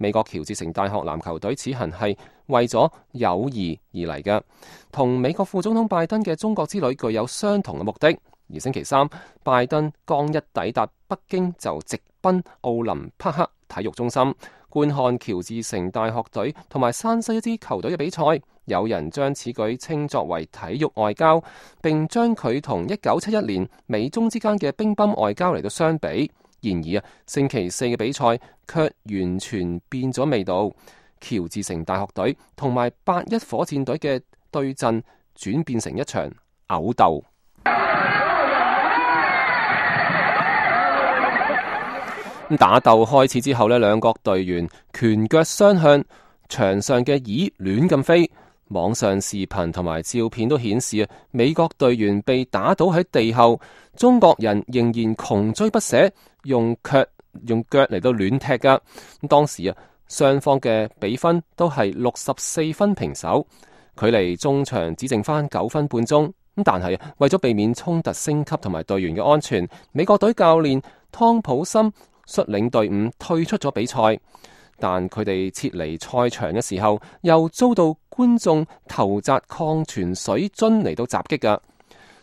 美國喬治城大學籃球隊此行係為咗友誼而嚟嘅，同美國副總統拜登嘅中國之旅具有相同嘅目的。而星期三，拜登剛一抵達北京就直奔奧林匹克體育中心觀看喬治城大學隊同埋山西一支球隊嘅比賽。有人將此舉稱作為體育外交，並將佢同1971年美中之間嘅乒乓外交嚟到相比。然而星期四嘅比賽卻完全變咗味道。喬治城大學隊同埋8-1火箭隊嘅對陣轉變成一場毆鬥。打鬥開始之後呢，兩國隊員拳腳相向，場上嘅椅亂咁飛。網上視頻同埋照片都顯示美國隊員被打倒喺地後，中國人仍然窮追不捨，用腳嚟到亂踢噶。當時雙方嘅比分都係64分平手，距離中場只剩翻9分半鐘。但係為咗避免衝突升級同埋隊員嘅安全，美國隊教練湯普森率領隊伍退出咗比賽。但佢哋撤離賽場嘅時候，又遭到觀眾投擲礦泉水樽嚟到襲擊噶。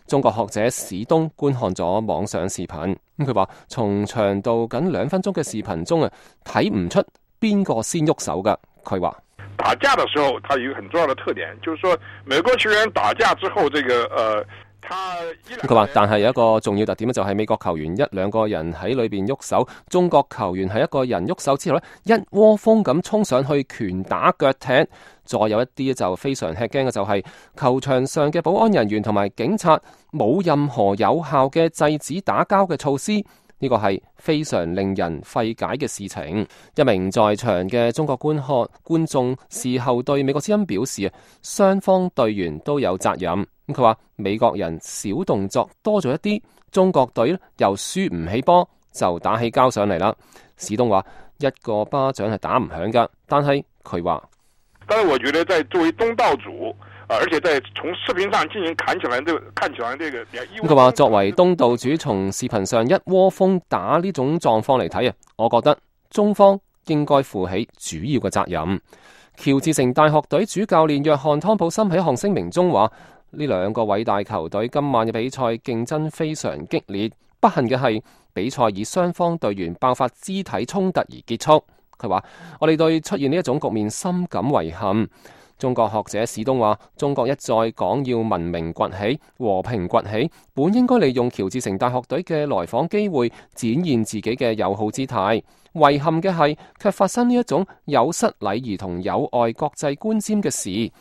中國學者史東觀看咗網上視頻，佢話從長度僅2分鐘嘅視頻中睇唔出邊個先喐手噶。佢話打架的時候，它有一個很重要的特點，就是說美國球員打架之後，佢話，但係有一個重要特點就係美國球員1-2個人喺裏邊喐手，中國球員係一個人喐手之後呢，一窩蜂咁衝上去拳打腳踢。再有一啲就非常吃驚嘅就係球場上嘅保安人員同埋警察冇任何有效嘅制止打交嘅措施。呢個係非常令人費解嘅事情。一名在場嘅中國觀眾事後對美國之音表示，雙方隊員都有責任。佢話美國人小動作多咗一啲，中國隊又輸唔起波，就打起交上嚟啦。史東話一個巴掌係打唔響噶，但係佢話，但是我覺得在作為東道主，而且在從視頻上進行看起來這個，佢話作為東道主，從視頻上一窩蜂打呢種狀況嚟睇我覺得中方應該負起主要嘅責任。喬治城大學隊主教練約翰湯普森喺一項聲明中話，呢兩個偉大球隊今晚嘅比賽競爭非常激烈，不幸嘅係比賽以雙方隊員爆發肢體衝突而結束。佢話我哋對出現呢一種局面深感遺憾。中國學者史東話，中國一再講要文明崛起、和平崛起，本應該利用喬治城大學隊嘅來訪機會展現自己嘅友好姿態。遺憾嘅係卻發生呢一種有失禮儀同有礙國際觀瞻嘅事。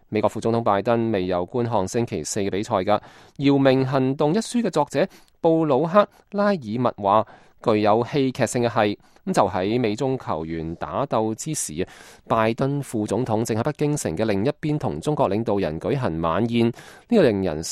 美國副總統拜登未有觀看星期四嘅比賽㗎。姚明行動一書嘅作者布魯克拉爾密話，具有戲劇性嘅係就喺美中球員打鬥之時，拜登副總統正喺北京城嘅另一邊同中國領導人舉行晚宴，呢個令人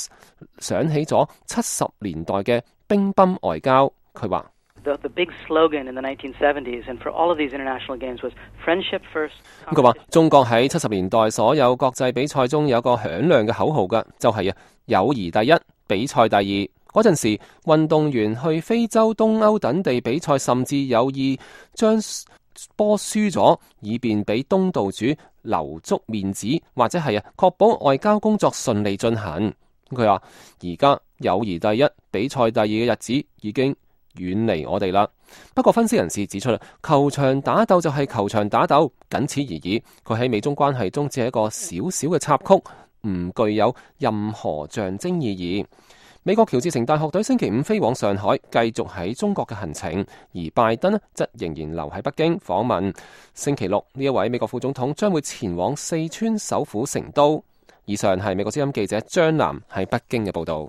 想起咗70年代嘅乒乓外交。佢話The big slogan in the 1970s and for all of these international games was friendship first. 佢話中國喺70年代所有國際比賽中有個響亮嘅口號㗎，就係友誼第一，比賽第二。嗰陣時，運動員去非洲、東歐等地比賽，甚至有意將波輸咗，以便俾東道主留足面子，或者係確保外交工作順利進行。佢話而家友誼第一，比賽第二嘅日子已經遠離我哋啦。不過分析人士指出，球場打鬥就係球場打鬥，僅此而已。佢喺美中關係中只係一個小小嘅插曲，唔具有任何象徵意義。美國喬治城大學隊星期五飛往上海，繼續喺中國嘅行程，而拜登則仍然留喺北京訪問。星期六呢一位美國副總統將會前往四川首府成都。以上係美國之音記者張南喺北京嘅報道。